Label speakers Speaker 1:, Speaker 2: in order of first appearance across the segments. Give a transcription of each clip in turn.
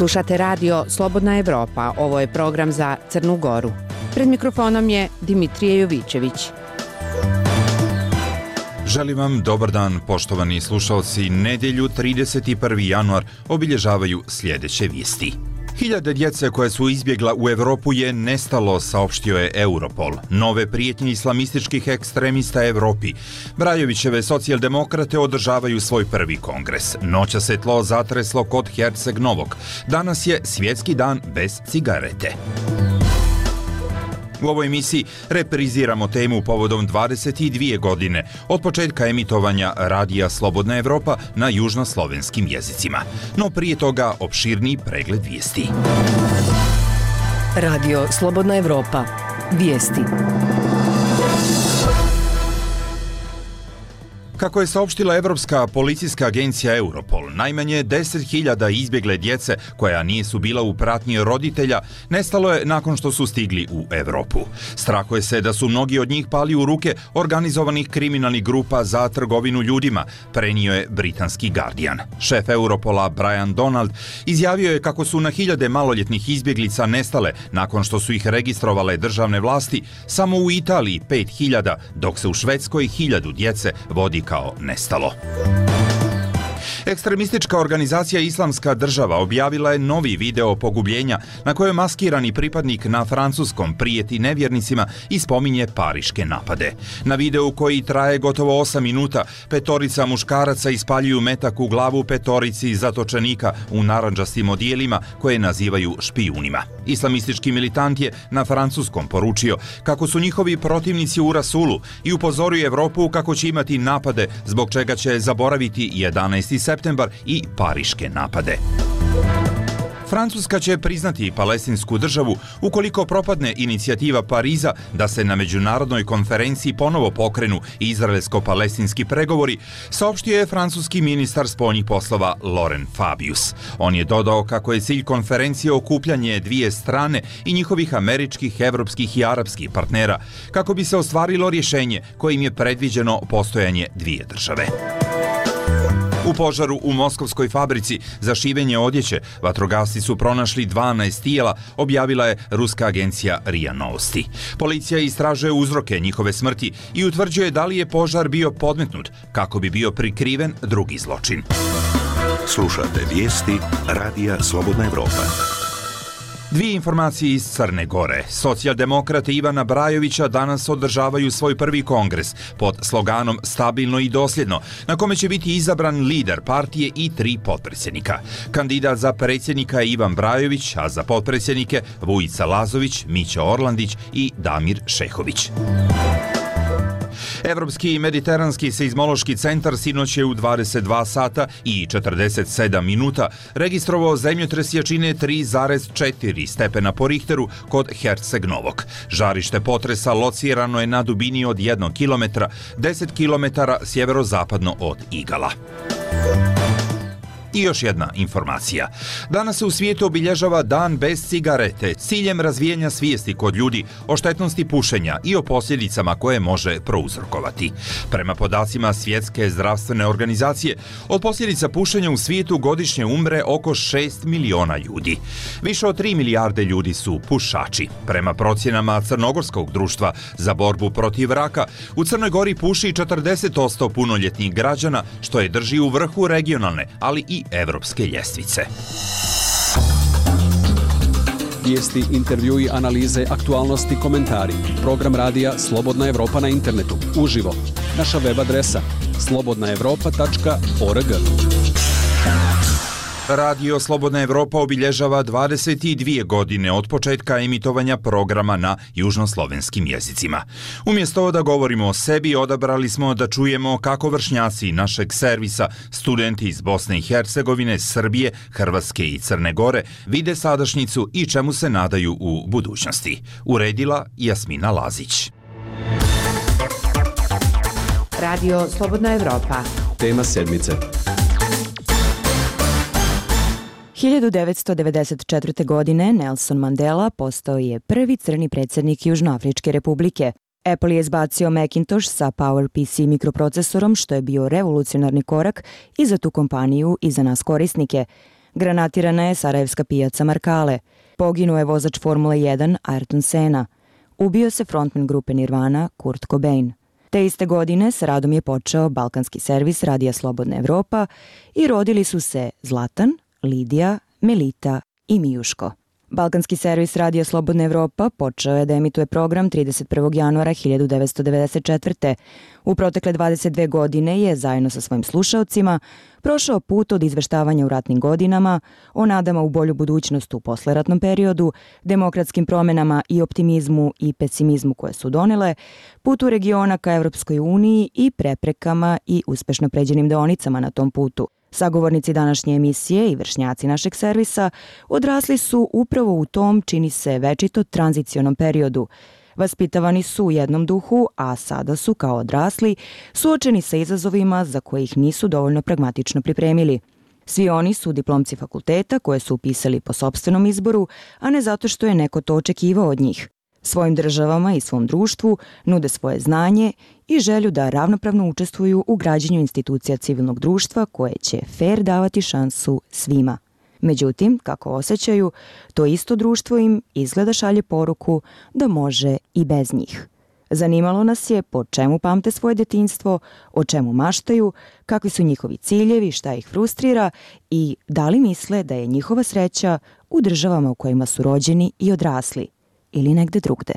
Speaker 1: Slušate radio Slobodna Evropa. Ovo je program za Crnu Goru. Pred mikrofonom je Dimitrije Jovićević.
Speaker 2: Želim vam dobar dan, poštovani slušalci. Nedjelju 31. januar obilježavaju sljedeće vijesti. Hiljade djece koje su izbjegla u Europu je nestalo, saopštio je Europol. Nove prijetnje islamističkih ekstremista Europi. Brajovićeve socijaldemokrate održavaju svoj prvi kongres. Noća se tlo zatreslo kod Herceg Novog. Danas je svjetski dan bez cigarete. U ovoj emisiji repriziramo temu povodom 22 godine od početka emitovanja radija Slobodna Evropa na južnoslovenskim jezicima. No prije toga opširni pregled vijesti.
Speaker 3: Radio Slobodna Evropa. Vijesti.
Speaker 2: Kako je saopštila Evropska policijska agencija Europol, najmanje 10.000 izbjegle djece koja nisu bila u pratnji roditelja nestalo je nakon što su stigli u Europu. Strahuje se da su mnogi od njih pali u ruke organizovanih kriminalnih grupa za trgovinu ljudima, prenio je britanski Guardian. Šef Europola Brian Donald izjavio je kako su na hiljade maloljetnih izbjeglica nestale nakon što su ih registrovale državne vlasti, samo u Italiji 5.000, dok se u Švedskoj 1.000 djece vodi kao nestalo. Ekstremistička organizacija Islamska država objavila je novi video pogubljenja na kojem maskirani pripadnik na francuskom prijeti nevjernicima i spominje pariške napade. Na videu koji traje gotovo 8 minuta, 5 muškaraca ispaljuju metak u glavu 5 zatočenika u narandžastim odijelima koje nazivaju špijunima. Islamistički militant je na francuskom poručio kako su njihovi protivnici u rasulu i upozorio Evropu kako će imati napade, zbog čega će zaboraviti 11. septembar i pariške napade. Francuska će priznati palestinsku državu ukoliko propadne inicijativa Pariza da se na međunarodnoj konferenciji ponovo pokrenu izraelsko-palestinski pregovori, saopštio je francuski ministar spoljnih poslova Laurent Fabius. On je dodao kako je cilj konferencije okupljanje dvije strane i njihovih američkih, evropskih i arapskih partnera, kako bi se ostvarilo rješenje kojim je predviđeno postojanje dvije države. U požaru u moskovskoj fabrici za šivenje odjeće vatrogasci su pronašli 12 tijela, objavila je ruska agencija RIA Novosti. Policija istražuje uzroke njihove smrti i utvrđuje da li je požar bio podmetnut kako bi bio prikriven drugi zločin.
Speaker 4: Slušate vijesti radija Slobodna Evropa.
Speaker 2: Dvije informacije iz Crne Gore. Socijaldemokrate Ivana Brajovića danas održavaju svoj prvi kongres pod sloganom Stabilno i dosljedno, na kome će biti izabran lider partije i 3 potpredsjednika. Kandidat za predsjednika je Ivan Brajović, a za potpredsjednike Vujica Lazović, Mića Orlandić i Damir Šehović. Evropski i mediteranski seizmološki centar sinoć je u 22 sata i 47 minuta registrovao zemljotres jačine 3,4 stepena po Richteru kod Herceg Novog. Žarište potresa locirano je na dubini od 1 km, 10 km sjeverozapadno od Igala. I još jedna informacija. Danas se u svijetu obilježava dan bez cigarete s ciljem razvijanja svijesti kod ljudi o štetnosti pušenja i o posljedicama koje može prouzrokovati. Prema podacima Svjetske zdravstvene organizacije, od posljedica pušenja u svijetu godišnje umre oko 6 miliona ljudi. Više od 3 milijarde ljudi su pušači. Prema procjenama Crnogorskog društva za borbu protiv raka, u Crnoj Gori puši 40% punoljetnih građana, što je drži u vrhu regionalne, ali i evropske ljestvice.
Speaker 5: Vijesti, intervjui, analize, aktualnosti, komentari. Program radija Slobodna Evropa na internetu. Uživo. Naša web adresa slobodnaevropa.org.
Speaker 2: Radio Slobodna Evropa obilježava 22 godine od početka emitovanja programa na južnoslovenskim jezicima. Umjesto da govorimo o sebi, odabrali smo da čujemo kako vršnjaci našeg servisa, studenti iz Bosne i Hercegovine, Srbije, Hrvatske i Crne Gore, vide sadašnjicu i čemu se nadaju u budućnosti. Uredila Jasmina Lazić.
Speaker 1: Radio Slobodna Evropa.
Speaker 5: Tema sedmice.
Speaker 6: 1994. godine Nelson Mandela postao je prvi crni predsjednik Južnoafričke republike. Apple je izbacio Macintosh sa PowerPC mikroprocesorom, što je bio revolucionarni korak i za tu kompaniju i za nas korisnike. Granatirana je sarajevska pijaca Markale. Poginuo je vozač Formule 1 Ayrton Senna. Ubio se frontman grupe Nirvana Kurt Cobain. Te iste godine sa radom je počeo balkanski servis Radija Slobodna Evropa i rodili su se Zlatan, Lidija, Melita i Mijuško. Balkanski servis Radija Slobodna Evropa počeo je da emituje program 31. januara 1994. U protekle 22 godine je, zajedno sa svojim slušaocima, prošao put od izveštavanja u ratnim godinama, o nadama u bolju budućnost u posleratnom periodu, demokratskim promenama i optimizmu i pesimizmu koje su donele, putu regiona ka Evropskoj uniji i preprekama i uspešno pređenim deonicama na tom putu. Sagovornici današnje emisije i vršnjaci našeg servisa odrasli su upravo u tom, čini se, večito tranzicionom periodu. Vaspitavani su u jednom duhu, a sada su, kao odrasli, suočeni sa izazovima za koje ih nisu dovoljno pragmatično pripremili. Svi oni su diplomci fakulteta koje su upisali po sopstvenom izboru, a ne zato što je neko to očekivao od njih. Svojim državama i svom društvu nude svoje znanje i želju da ravnopravno učestvuju u građenju institucija civilnog društva koje će fer davati šansu svima. Međutim, kako osjećaju, to isto društvo im izgleda šalje poruku da može i bez njih. Zanimalo nas je po čemu pamte svoje detinjstvo, o čemu maštaju, kakvi su njihovi ciljevi, šta ih frustrira i da li misle da je njihova sreća u državama u kojima su rođeni i odrasli ili negde drugde.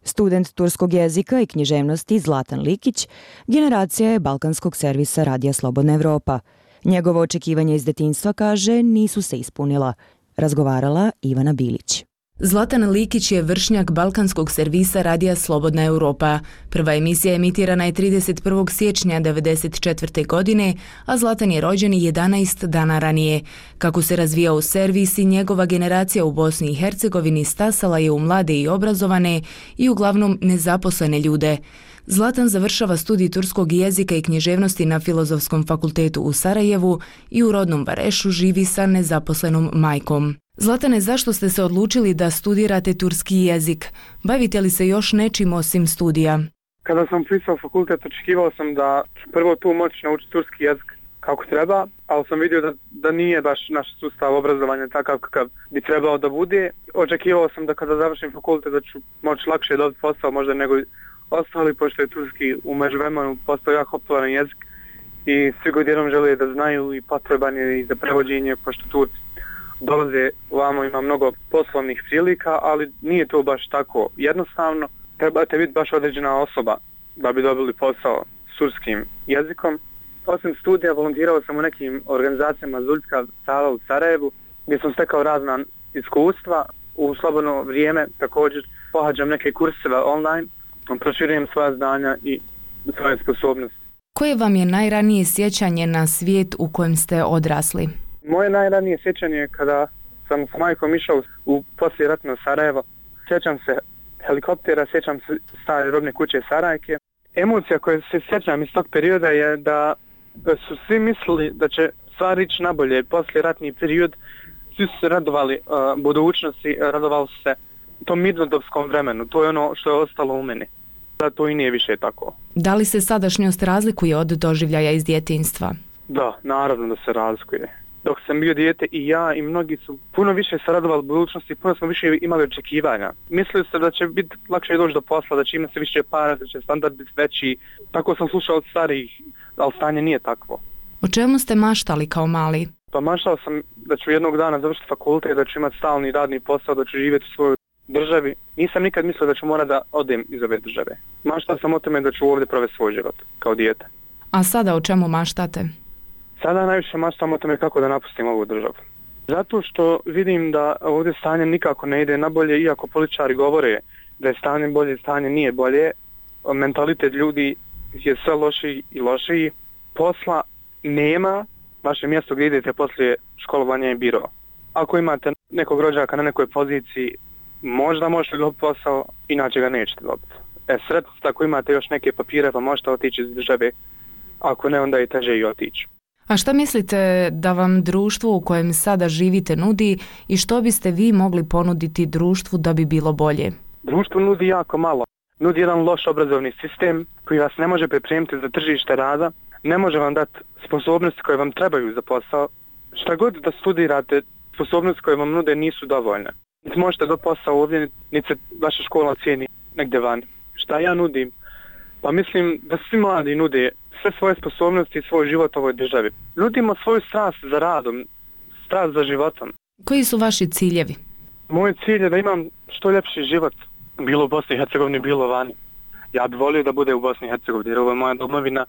Speaker 6: Student turskog jezika i književnosti Zlatan Likić generacija je balkanskog servisa Radija Slobodna Evropa. Njegovo očekivanje iz detinjstva, kaže, nisu se ispunila. Razgovarala Ivana Bilić.
Speaker 7: Zlatan Likić je vršnjak balkanskog servisa Radija Slobodna Evropa. Prva emisija emitirana je 31. siječnja 1994. godine, a Zlatan je rođen 11 dana ranije. Kako se razvijao servis i njegova generacija u Bosni i Hercegovini stasala je u mlade i obrazovane i uglavnom nezaposlene ljude. Zlatan završava studij turskog jezika i književnosti na Filozofskom fakultetu u Sarajevu i u rodnom Varešu živi sa nezaposlenom majkom. Zlatane, zašto ste se odlučili da studirate turski jezik? Bavite li se još nečim osim studija?
Speaker 8: Kada sam upisao fakultet, očekivao sam da ću prvo tu moći naučiti turski jezik kako treba, ali sam vidio da nije baš naš sustav obrazovanja takav kakav bi trebao da bude. Očekivao sam da kada završim fakultet da ću moći lakše dobiti posao možda nego ostali, pošto je turski u međuvremenu postao jako popularan jezik i svi god jednom žele da znaju i potreban je i za prevođenje, pošto Turci dolaze ovamo, ima mnogo poslovnih prilika, ali nije to baš tako jednostavno. Trebate biti baš određena osoba da bi dobili posao s turskim jezikom. Osim studija volontirao sam u nekim organizacijama Zuljska sala u Sarajevu gdje sam stekao razna iskustva. U slobodno vrijeme također pohađam neke kurseve online, proširujem svoja znanja i svoje sposobnosti.
Speaker 7: Koje vam je najranije sjećanje na svijet u kojem ste odrasli?
Speaker 8: Moje najranije sjećanje je kada sam s majkom išao u poslijeratno Sarajevo. Sjećam se helikoptera, sjećam se stare robne kuće Sarajke. Emocija koja se sjećam iz tog perioda je da su svi mislili da će stvari ići nabolje. Poslijeratni period, svi su se radovali budućnosti, radovali su se tom mirnodopskom vremenu. To je ono što je ostalo u meni. Da to i nije više tako.
Speaker 7: Da li se sadašnjost razlikuje od doživljaja iz djetinjstva?
Speaker 8: Da, naravno da se razlikuje. Dok sam bio dijete i ja i mnogi su puno više se radovali budućnosti, puno smo više imali očekivanja. Mislili se da će biti lakše doći do posla, da će imati više para, da će standard biti veći. Tako sam slušao od starijih, ali stanje nije takvo.
Speaker 7: O čemu ste maštali kao mali?
Speaker 8: Pa maštao sam da ću jednog dana završiti fakultet, da ću imati stalni radni posao, da ću živjeti u svojoj državi. Nisam nikad mislio da ću morati da odem iz ove države. Maštao sam o tome da ću ovdje provesti svoj život kao dijete.
Speaker 7: A sada o čemu maštate?
Speaker 8: Sada najviše maštam o tome kako da napustim ovu državu. Zato što vidim da ovdje stanje nikako ne ide nabolje, iako političari govore da je stanje bolje, stanje nije bolje. Mentalitet ljudi je sve lošiji i lošiji. Posla nema, vaše mjesto gdje idete poslije školovanja je biro. Ako imate nekog rođaka na nekoj poziciji, možda možete dobiti posao, inače ga nećete dobiti. Sretno, ako imate još neke papire pa možete otići iz države, ako ne onda je teže i otići.
Speaker 7: A šta mislite da vam društvo u kojem sada živite nudi i što biste vi mogli ponuditi društvu da bi bilo bolje?
Speaker 8: Društvo nudi jako malo. Nudi jedan loš obrazovni sistem koji vas ne može pripremiti za tržište rada, ne može vam dati sposobnosti koje vam trebaju za posao. Šta god da studirate, sposobnosti koje vam nude nisu dovoljne. Niti možete do posao ovdje, niti se vaša škola cijeni negdje vani. Šta ja nudim? Pa mislim da svi mladi nude sve svoje sposobnosti i svoj život ovoj državi. Nudimo svoju strast za radom, strast za životom.
Speaker 7: Koji su vaši ciljevi?
Speaker 8: Moj cilj je da imam što ljepši život, bilo u Bosni i Hercegovini, bilo vani. Ja bih volio da bude u Bosni i Hercegovini, jer ovo je moja domovina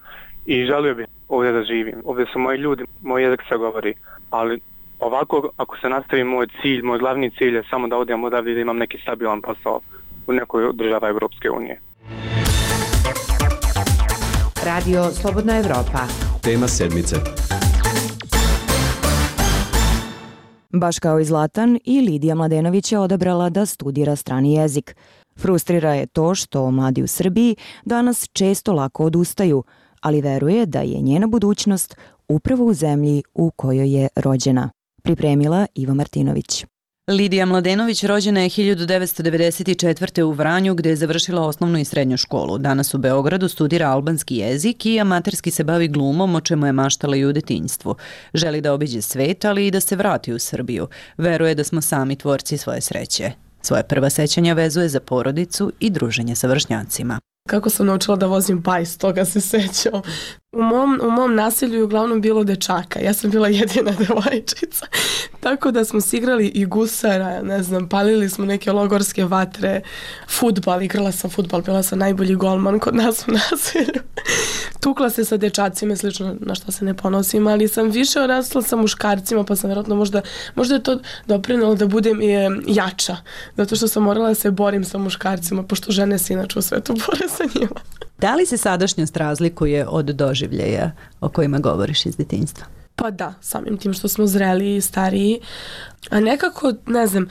Speaker 8: i želio bih ovdje da živim. Ovdje su moji ljudi, moj jezik se govori, ali ovako ako se nastavi moj cilj, moj glavni cilj je samo da odem odavdje i da imam neki stabilan posao u nekoj država Europske unije.
Speaker 1: Radio Slobodna Evropa.
Speaker 5: Tema sedmice.
Speaker 6: Baš kao i Zlatan, i Lidija Mladenović je odabrala da studira strani jezik. Frustrira je to što mladi u Srbiji danas često lako odustaju, ali veruje da je njena budućnost upravo u zemlji u kojoj je rođena. Pripremila Iva Martinović.
Speaker 9: Lidija Mladenović rođena je 1994. u Vranju gdje je završila osnovnu i srednju školu. Danas u Beogradu studira albanski jezik i amaterski se bavi glumom, o čemu je maštala i u detinjstvu. Želi da obiđe svet, ali i da se vrati u Srbiju. Veruje da smo sami tvorci svoje sreće. Svoje prva sećanja vezuje za porodicu i druženje sa vršnjacima.
Speaker 10: Kako sam naučila da vozim bajs, toga se sećam. U mom naselju je uglavnom bilo dečaka. Ja sam bila jedina devojčica. Tako da smo se igrali i gusara, ne znam, palili smo neke logorske vatre, fudbal, igrala sam fudbal, bila sam najbolji golman kod nas u naselju. Tukla se sa dečacima, slično na što se ne ponosim, ali sam više odrasla sa muškarcima, pa sam vjerojatno možda je to doprinalo da budem jača, zato što sam morala da se borim sa muškarcima, pošto žene se inače u svetu bore sa njima.
Speaker 9: Da li se sadašnjost razlikuje od doživljeja o kojima govoriš iz detinjstva?
Speaker 10: Pa da, samim tim što smo zreliji i stariji. A nekako, ne znam,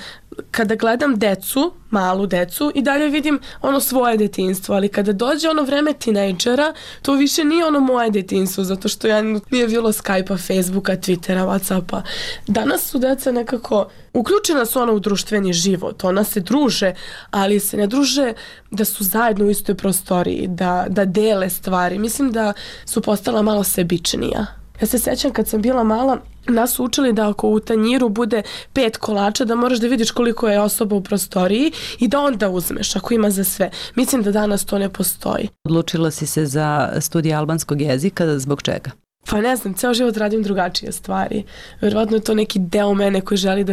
Speaker 10: kada gledam decu, malu decu, i dalje vidim ono svoje detinjstvo, ali kada dođe ono vreme tinejdžera, to više nije ono moje detinjstvo, zato što nije bilo Skype-a, Facebooka, Twittera, Whatsappa. Danas su deca nekako, uključena su u društveni život, ona se druže, ali se ne druže da su zajedno u istoj prostoriji, da dele stvari. Mislim da su postala malo sebičnija. Ja se sećam kad sam bila mala, nas su učili da ako u tanjiru bude 5 kolača, da moraš da vidiš koliko je osoba u prostoriji i da onda uzmeš ako ima za sve. Mislim da danas to ne postoji.
Speaker 9: Odlučila si se za studij albanskog jezika, zbog čega?
Speaker 10: Pa ne znam, ceo život radim drugačije stvari. Vjerovatno je to neki deo mene koji želi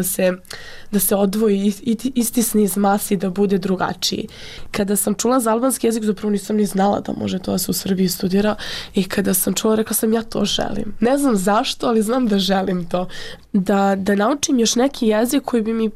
Speaker 10: da se odvoji i istisni iz masi, da bude drugačiji. Kada sam čula za albanski jezik, zapravo nisam ni znala da može to da se u Srbiji studira, i kada sam čula, rekla sam ja to želim. Ne znam zašto, ali znam da želim to. Da naučim još neki jezik koji bi mi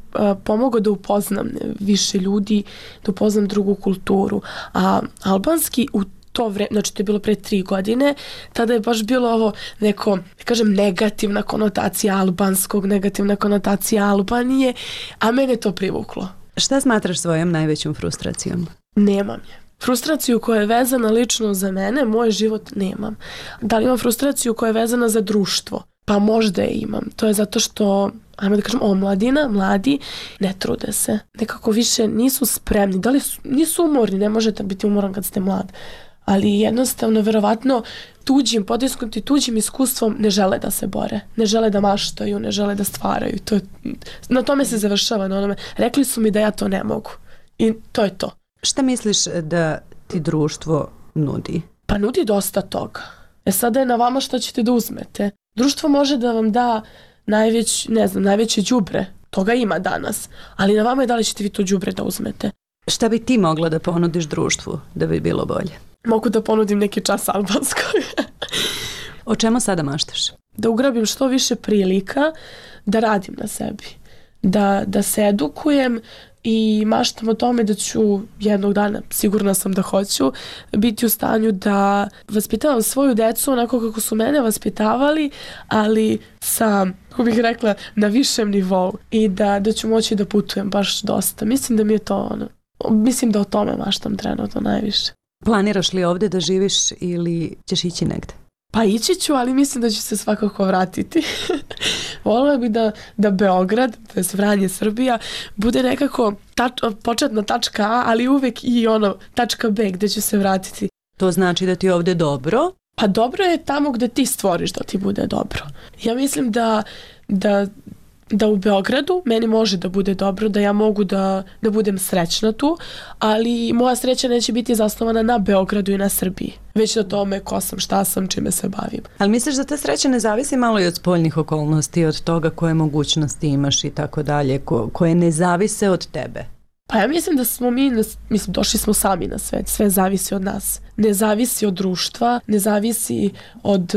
Speaker 10: pomogao da upoznam više ljudi, da upoznam drugu kulturu. A albanski u to vreme, znači to je bilo pre 3 godine, tada je baš bilo ovo neko, da kažem, negativna konotacija albanskog, negativna konotacija Albanije, a mene to privuklo.
Speaker 9: Šta smatraš svojom najvećom frustracijom?
Speaker 10: Nemam je. Frustraciju koja je vezana lično za mene, moj život nemam. Da li imam frustraciju koja je vezana za društvo? Pa možda je imam. To je zato što, ajmo da kažem, omladina, mladi, ne trude se. Nekako više nisu spremni. Da li nisu umorni, ne možete biti umoran kad ste mlad. Ali jednostavno, verovatno, potisnuti tuđim iskustvom ne žele da se bore, ne žele da maštaju, ne žele da stvaraju. Na tome se završava, na onome. Rekli su mi da ja to ne mogu. I to je to.
Speaker 9: Šta misliš da ti društvo nudi?
Speaker 10: Pa nudi dosta toga. Sada je na vama što ćete da uzmete. Društvo može da vam da najveće đubre. Toga ima danas. Ali na vama je da li ćete vi to đubre da uzmete.
Speaker 9: Šta bi ti mogla da ponudiš društvu da bi bilo bolje?
Speaker 10: Mogu da ponudim neki čas albanskoj.
Speaker 9: O čemu sada maštaš?
Speaker 10: Da ugrabim što više prilika, da radim na sebi. Da se edukujem i maštam o tome da ću jednog dana, sigurna sam da hoću, biti u stanju da vaspitavam svoju decu onako kako su mene vaspitavali, ali sa, kako bih rekla, na višem nivou, i da ću moći da putujem baš dosta. Mislim da mi je to mislim da o tome maštam trenutno najviše.
Speaker 9: Planiraš li ovdje da živiš ili ćeš ići negde?
Speaker 10: Pa ići ću, ali mislim da ću se svakako vratiti. Voljela bi da Beograd, to je Vranje, Srbija, bude nekako početna tačka A, ali uvek i tačka B gde ću se vratiti.
Speaker 9: To znači da ti je ovde dobro?
Speaker 10: Pa dobro je tamo gde ti stvoriš da ti bude dobro. Ja mislim da u Beogradu meni može da bude dobro, da ja mogu da budem srećna tu, ali moja sreća neće biti zasnovana na Beogradu i na Srbiji, već na tome ko sam, šta sam, čime se bavim.
Speaker 9: Ali misliš da ta sreća ne zavisi malo i od spoljnih okolnosti, od toga koje mogućnosti imaš i tako dalje, koje ne zavise od tebe?
Speaker 10: Pa ja mislim da smo došli smo sami na svet, sve zavisi od nas. Ne zavisi od društva, ne zavisi od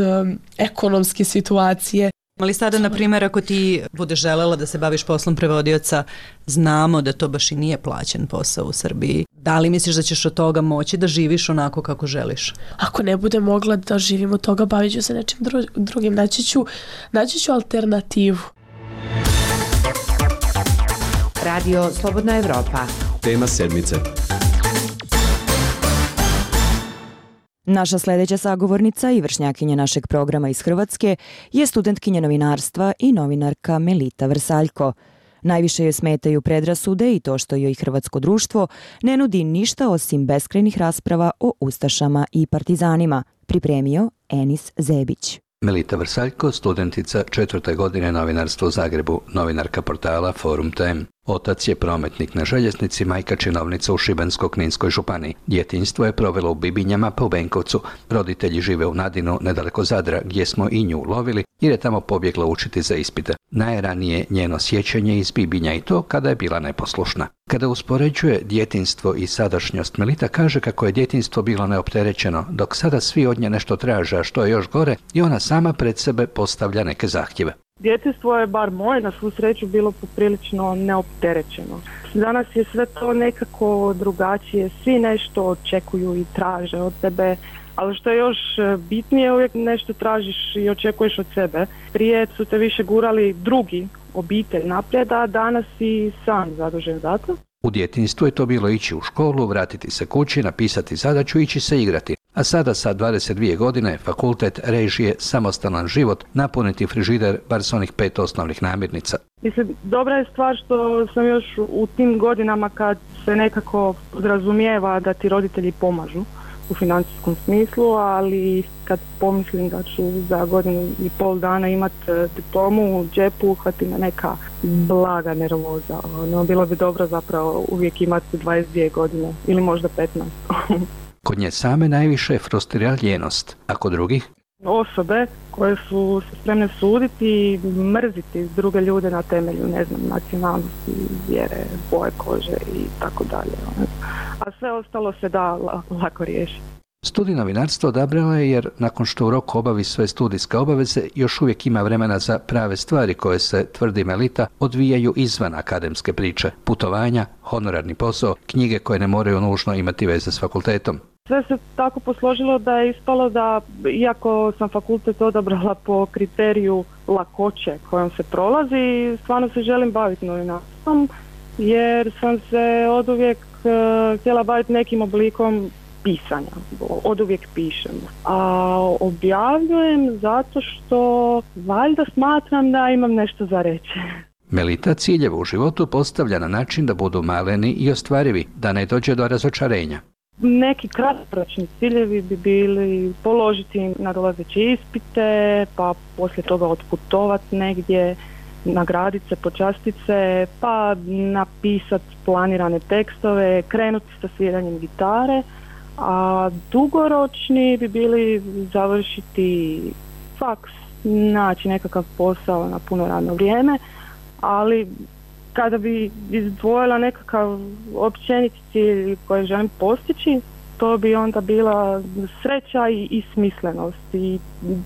Speaker 10: ekonomske situacije.
Speaker 9: Ali sada, na primjer, ako ti budeš želela da se baviš poslom prevodioca, znamo da to baš i nije plaćen posao u Srbiji. Da li misliš da ćeš od toga moći da živiš onako kako želiš?
Speaker 10: Ako ne bude mogla da živim od toga, bavit ću se nečim drugim. Naći ću alternativu.
Speaker 1: Radio Slobodna Evropa.
Speaker 5: Tema sedmice.
Speaker 6: Naša sljedeća sagovornica i vršnjakinja našeg programa iz Hrvatske je studentkinja novinarstva i novinarka Melita Vrsaljko. Najviše joj smetaju predrasude i to što joj hrvatsko društvo ne nudi ništa osim beskrajnih rasprava o ustašama i partizanima, pripremio Enis Zebić.
Speaker 11: Melita Vrsaljko, studentica 4. godine novinarstva u Zagrebu, novinarka portala Forum Tem. Otac je prometnik na željeznici, majka činovnica u Šibensko-kninskoj županiji. Djetinjstvo je provelo u Bibinjama pa u Benkovcu. Roditelji žive u Nadinu, nedaleko Zadra, gdje smo i nju lovili, jer je tamo pobjegla učiti za ispite. Najranije njeno sjećanje iz Bibinja i to kada je bila neposlušna. Kada uspoređuje djetinjstvo i sadašnjost, Melita kaže kako je djetinjstvo bilo neopterećeno, dok sada svi od nje nešto traže, a što je još gore, i ona sama pred sebe postavlja neke zahtjeve.
Speaker 12: Djetinjstvo je, bar moje, na svu sreću bilo poprilično neopterećeno. Danas je sve to nekako drugačije, svi nešto očekuju i traže od tebe, ali što je još bitnije, uvijek nešto tražiš i očekuješ od sebe. Prije su te više gurali drugi, obitelj naprijed, a danas si sam zadužen za to.
Speaker 11: U djetinjstvu je to bilo ići u školu, vratiti se kući, napisati zadaću i ići se igrati. A sada sa 22 godine fakultet, režije, samostalan život, napuniti frižider bar s onih 5 osnovnih namirnica.
Speaker 12: Mislim, dobra je stvar što sam još u tim godinama kad se nekako podrazumijeva da ti roditelji pomažu u financijskom smislu, ali kad pomislim da ću za godinu i pol dana imati diplomu u džepu, uhvati me neka blaga nervoza. Bilo bi dobro zapravo uvijek imati 22 godine ili možda 15.
Speaker 11: Kod nje same najviše je frustrira ljenost, a kod drugih?
Speaker 12: Osobe koje su spremne suditi i mrziti druge ljude na temelju, nacionalnosti, vjere, boje kože i tako dalje. A sve ostalo se da lako riješiti.
Speaker 11: Studij novinarstva odabrala je jer nakon što u roku obavi sve studijske obaveze, još uvijek ima vremena za prave stvari koje se, tvrdi Melita, odvijaju izvan akademske priče, putovanja, honorarni posao, knjige koje ne moraju nužno imati veze s fakultetom.
Speaker 12: Sve se tako posložilo da je ispalo da, iako sam fakultet odabrala po kriteriju lakoće kojom se prolazi, stvarno se želim baviti novinarstvom, jer sam se oduvijek htjela baviti nekim oblikom pisanja, oduvijek pišem. A objavljujem zato što valjda smatram da imam nešto za reći.
Speaker 11: Melita ciljeve u životu postavlja na način da budu maleni i ostvarivi, da ne dođe do razočarenja.
Speaker 12: Neki kratkoročni ciljevi bi bili položiti nadolazeće ispite, pa poslije toga otputovati negdje, nagraditi se, počastiti se, pa napisati planirane tekstove, krenuti sa sviranjem gitare, a dugoročni bi bili završiti faks, naći nekakav posao na puno radno vrijeme, ali kada bi izdvojila nekakav općeniti cilj koji želim postići, to bi onda bila sreća i smislenost. I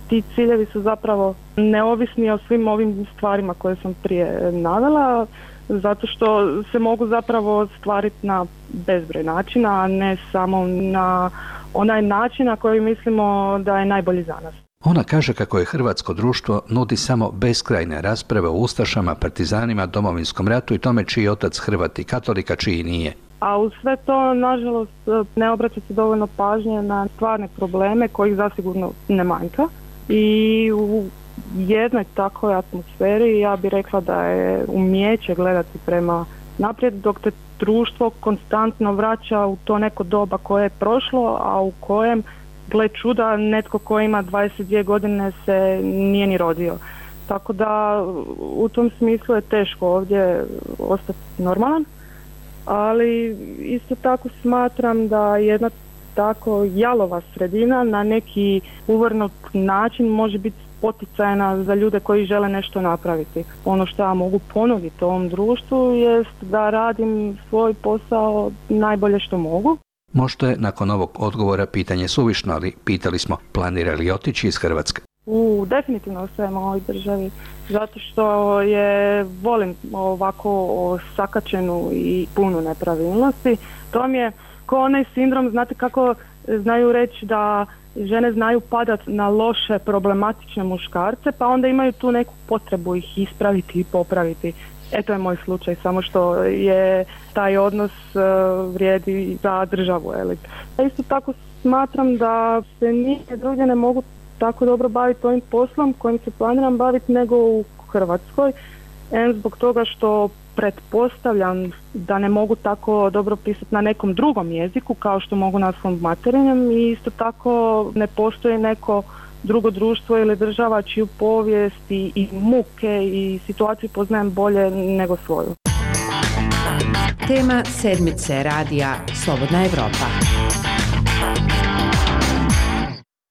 Speaker 12: ti ciljevi su zapravo neovisni o svim ovim stvarima koje sam prije navela, zato što se mogu zapravo ostvariti na bezbroj načina, a ne samo na onaj način na koji mislimo da je najbolji za nas.
Speaker 11: Ona kaže kako je hrvatsko društvo nudi samo beskrajne rasprave o ustašama, partizanima, Domovinskom ratu i tome čiji je otac Hrvat i katolika, čiji nije.
Speaker 12: A uz sve to, nažalost, ne obraća se dovoljno pažnje na stvarne probleme kojih zasigurno ne manjka. i u jednoj takvoj atmosferi ja bih rekla da je umijeće gledati prema naprijed, dok te društvo konstantno vraća u to neko doba koje je prošlo, a u kojem, gle čuda, netko ko ima 22 godine se nije ni rodio. Tako da u tom smislu je teško ovdje ostati normalan, ali isto tako smatram da jedna tako jalova sredina na neki uvrnut način može biti poticajna za ljude koji žele nešto napraviti. Ono što ja mogu ponuditi ovom društvu jest da radim svoj posao najbolje što mogu.
Speaker 11: Možda je nakon ovog odgovora pitanje suvišno, ali pitali smo planira li otići iz Hrvatske.
Speaker 12: Definitivno ostajem u ovoj državi, zato što volim ovako sakačenu i punu nepravilnosti. To mi je kao onaj sindrom, znate kako znaju reći da žene znaju padati na loše, problematične muškarce, pa onda imaju tu neku potrebu ih ispraviti i popraviti. To je moj slučaj, samo što je taj odnos vrijedi za državu. Isto tako smatram da se nigdje drugdje ne mogu tako dobro baviti ovim poslom kojim se planiram baviti nego u Hrvatskoj. Zbog toga što pretpostavljam da ne mogu tako dobro pisati na nekom drugom jeziku kao što mogu na svom materinjem, i isto tako ne postoji neko drugo društvo ili država čiju povijest i muke i situaciju poznajem bolje nego svoju.
Speaker 1: Tema sedmice radija Slobodna Evropa.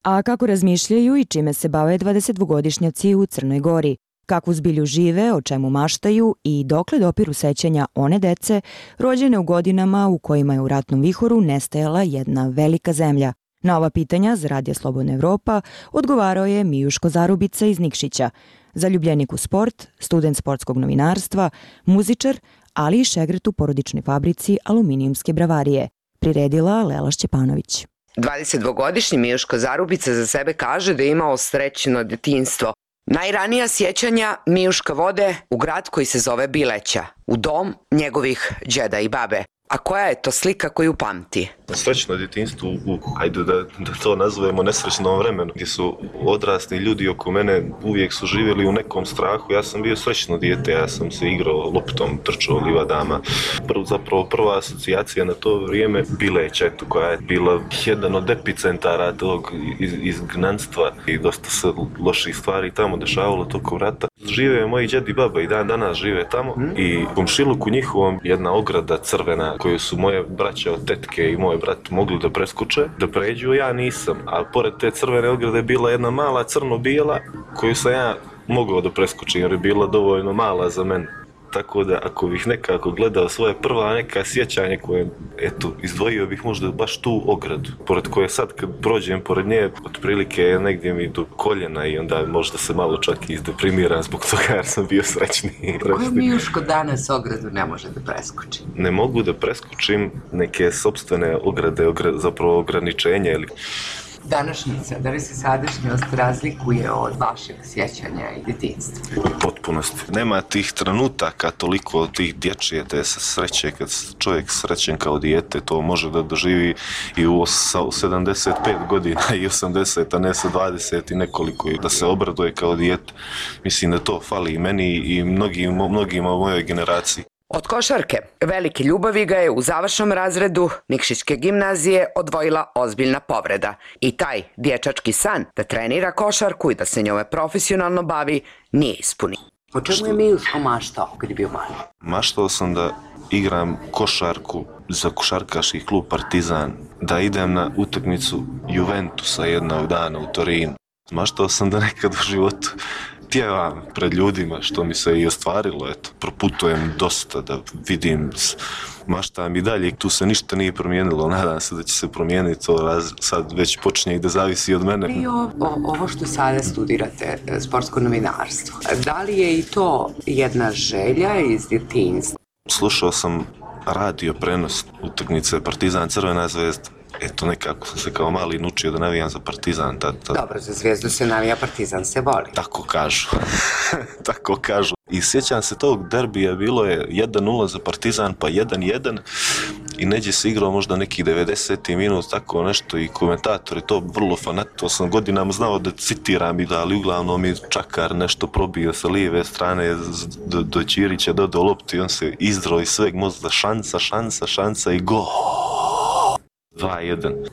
Speaker 6: A kako razmišljaju i čime se bave 22-godišnjaci u Crnoj Gori? Kakvu zbilju žive, o čemu maštaju i dokle dopiru sećanja one dece rođene u godinama u kojima je u ratnom vihoru nestajala jedna velika zemlja? Na ova pitanja za Radio Slobodna Evropa odgovarao je Mijuško Zarubica iz Nikšića, zaljubljenik u sport, student sportskog novinarstva, muzičar, ali i šegret u porodičnoj fabrici aluminijumske bravarije. Priredila Lela Šćepanović.
Speaker 13: 22-godišnji Mijuško Zarubica za sebe kaže da je imao srećno detinjstvo. Najranija sjećanja Mijuška vode u grad koji se zove Bileća, u dom njegovih đeda i babe. A koja je to slika koju pamti?
Speaker 14: Srećno djetinjstvo ajde da to nazovemo nesrećnom vremenu, gdje su odrasli ljudi oko mene uvijek su živjeli u nekom strahu. Ja sam bio srećno dijete, ja sam se igrao loptom, trčao livadama. Prva asocijacija na to vrijeme Bileća, koja je bila jedan od epicentara tog izgnanstva i dosta se loših stvari tamo dešavalo tokom rata. Žive moji djed i baba i dan danas žive tamo i u komšiluku njihovom jedna ograda crvena koju su moje braća od tetke i moj brat mogli da preskoče, da pređu, ja nisam. A pored te crvene ograde je bila jedna mala crno-bijela koju sam ja mogao da preskočim jer je bila dovoljno mala za mene. Tako da ako bih nekako gledao svoje prva neka sjećanje koje, izdvojio bih možda baš tu ogradu, pored koje sad kad prođem pored nje, otprilike je negdje mi do koljena i onda možda se malo čak i izdeprimiram zbog toga jer sam bio srećniji.
Speaker 13: Koju Mijuško danas ogradu ne može da preskoči?
Speaker 14: Ne mogu da preskočim neke sopstvene ograde, zapravo ograničenja ili...
Speaker 13: Današnjica, da li se sadašnjost razlikuje od vašeg sjećanja i djetinjstva?
Speaker 14: U potpunosti. Nema tih trenutaka, toliko tih dječje te sreće, kad čovjek srećen kao dijete, to može da doživi i u 75 godina i 80, a ne sa 20 i nekoliko, da se obraduje kao dijete. Mislim da to fali i meni i mnogima u mojoj generaciji.
Speaker 13: Od košarke velike ljubavi ga je u završnom razredu Nikšićke gimnazije odvojila ozbiljna povreda. I taj dječački san da trenira košarku i da se njome profesionalno bavi nije ispunio. O čemu je Mijuško maštao kad je bio mali?
Speaker 14: Maštao sam da igram košarku za košarkaški klub Partizan, da idem na utakmicu Juventusa jednog dana u Torinu. Maštao sam da nekad u životu pjevam pred ljudima, što mi se i ostvarilo, proputujem dosta da vidim, maštam i dalje, tu se ništa nije promijenilo, nadam se da će se promijeniti, to sad već počinje i da zavisi od mene.
Speaker 13: I ovo što sada studirate, sportsko novinarstvo, da li je i to jedna želja iz djetinjstva?
Speaker 14: Slušao sam radio prenos utakmice Partizan Crvena zvezda. Nekako sam se kao mali naučio da navijam za Partizan.
Speaker 13: Dobro, za Zvezdu se navija, Partizan se voli.
Speaker 14: Tako kažu. Tako kažu. I sjećam se tog derbija, bilo je 1-0 za Partizan, pa 1-1 i neđe se igrao možda neki 90. minut, tako nešto, i komentatori to vrlo to sam godinama znao da citiram i da, ali uglavnom mi Čakar nešto probio sa lijeve strane do Ćirića, dodao loptu i on se izdrao iz sveg mozga, šansa i go! 2-1.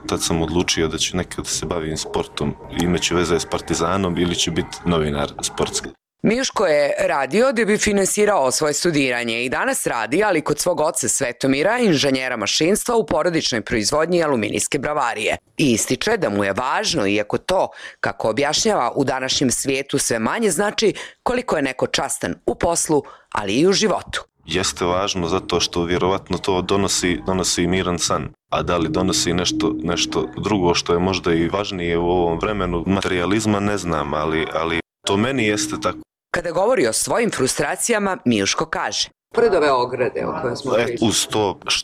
Speaker 14: Tad sam odlučio da ću nekad se bavim sportom, imaću veze s Partizanom ili ću biti novinar sportski.
Speaker 13: Mijuško je radio da bi finansirao svoje studiranje i danas radi, ali kod svog oca Svetomira, inženjera mašinstva u porodičnoj proizvodnji aluminijske bravarije. I ističe da mu je važno, iako to, kako objašnjava, u današnjem svijetu sve manje znači, koliko je neko častan u poslu, ali i u životu.
Speaker 14: Jeste važno zato što vjerovatno to donosi miran san. A da li donosi nešto drugo što je možda i važnije u ovom vremenu materijalizma, ne znam, ali to meni jeste tako.
Speaker 13: Kada govori o svojim frustracijama, Mijuško kaže: pored ove ograde o kojoj smo pričali.
Speaker 14: Uz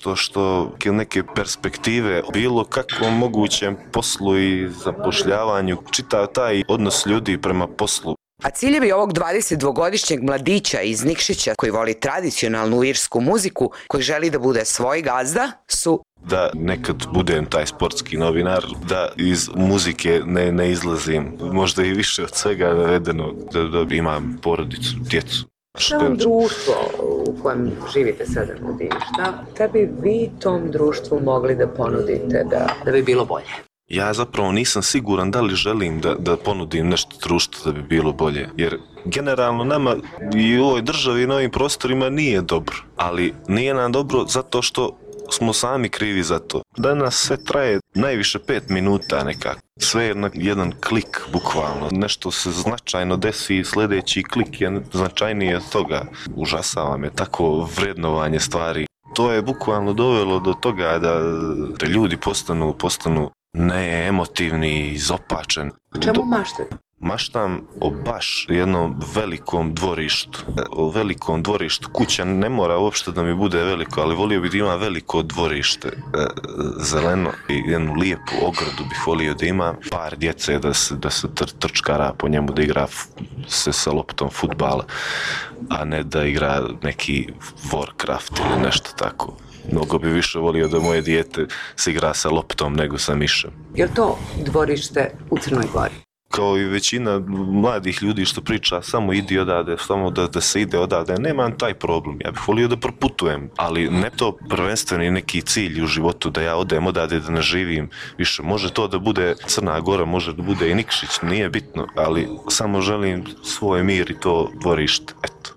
Speaker 14: to što neke perspektive bilo kakvom mogućem poslu i zapošljavanju, čitav taj odnos ljudi prema poslu.
Speaker 13: A ciljevi ovog 22-godišnjeg mladića iz Nikšića koji voli tradicionalnu irsku muziku, koji želi da bude svoj gazda, su
Speaker 14: da nekad budem taj sportski novinar, da iz muzike ne izlazim, možda i više od svega navedeno, da imam porodicu, djecu.
Speaker 15: Šta vam društvo u kojem živite sada nudi? Šta bi vi tom društvu mogli da ponudite da bi bilo bolje?
Speaker 14: Ja zapravo nisam siguran da li želim da ponudim nešto društvu da bi bilo bolje, jer generalno nama i u ovoj državi i na ovim prostorima nije dobro, ali nije nam dobro zato što smo sami krivi za to. Danas sve traje najviše 5 minuta nekako. Sve je jedan klik, bukvalno. Nešto se značajno desi i sljedeći klik je značajnije od toga. Užasava me tako vrednovanje stvari. To je bukvalno dovelo do toga da ljudi postanu neemotivni, izopačeni.
Speaker 15: Čemu maštate?
Speaker 14: Maštam o baš jednom velikom dvorištu. O velikom dvorištu. Kuća ne mora uopšte da mi bude veliko, ali volio bih da ima veliko dvorište, zeleno i jednu lijepu ogradu bih volio da ima. Par djece da se trčkara po njemu, da igra se sa loptom fudbala, a ne da igra neki Warcraft ili nešto tako. Mnogo bi više volio da moje dijete se igra sa loptom nego sa mišem.
Speaker 15: Je li to dvorište u Crnoj Gori?
Speaker 14: Kao i većina mladih ljudi što priča, samo idi odavde, samo da se ide odavde, nemam taj problem. Ja bih volio da proputujem, ali ne to prvenstveni neki cilj u životu da ja odem odavde, da ne živim više. Može to da bude Crna Gora, može da bude i Nikšić, nije bitno, ali samo želim svoj mir i to dvorište, eto.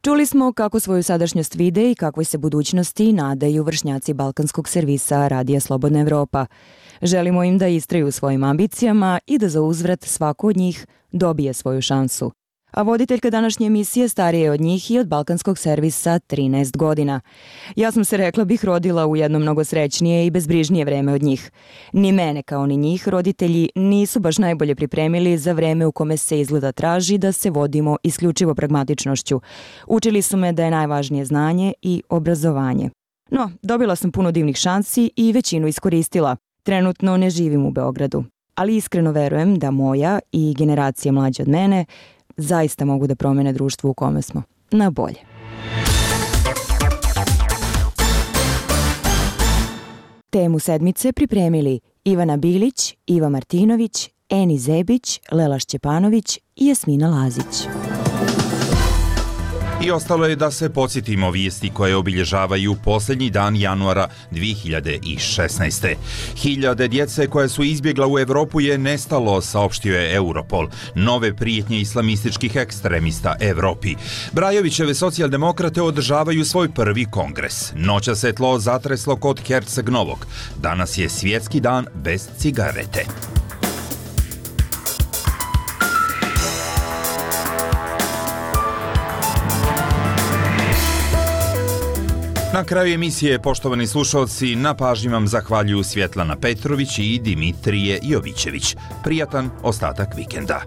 Speaker 6: Čuli smo kako svoju sadašnjost vide i kakvoj se budućnosti nadaju vršnjaci balkanskog servisa Radija Slobodna Evropa. Želimo im da istraju svojim ambicijama i da za uzvrat svako od njih dobije svoju šansu. A voditeljka današnje emisije starije je od njih i od balkanskog servisa 13 godina. Ja sam se, rekla bih, rodila u jedno mnogo srećnije i bezbrižnije vreme od njih. Ni mene kao ni njih roditelji nisu baš najbolje pripremili za vreme u kome se izgleda traži da se vodimo isključivo pragmatičnošću. Učili su me da je najvažnije znanje i obrazovanje. No, dobila sam puno divnih šansi i većinu iskoristila. Trenutno ne živim u Beogradu, ali iskreno verujem da moja i generacije mlađe od mene zaista mogu da promene društvo u kome smo. Na bolje. Temu sedmice pripremili Ivana Bilić, Iva Martinović, Eni Zebić, Lela Šćepanović i Jasmina Lazić.
Speaker 2: I ostalo je da se podsjetimo vijesti koje obilježavaju posljednji dan januara 2016. Hiljade djece koje su izbjegla u Evropu je nestalo, saopštio je Europol. Nove prijetnje islamističkih ekstremista Evropi. Brajovićeve socijaldemokrate održavaju svoj prvi kongres. Noća se tlo zatreslo kod Herceg Novog. Danas je svjetski dan bez cigarete. Na kraju emisije, poštovani slušalci, na pažnji vam zahvaljuju Svjetlana Petrović i Dimitrije Jovićević. Prijatan ostatak vikenda.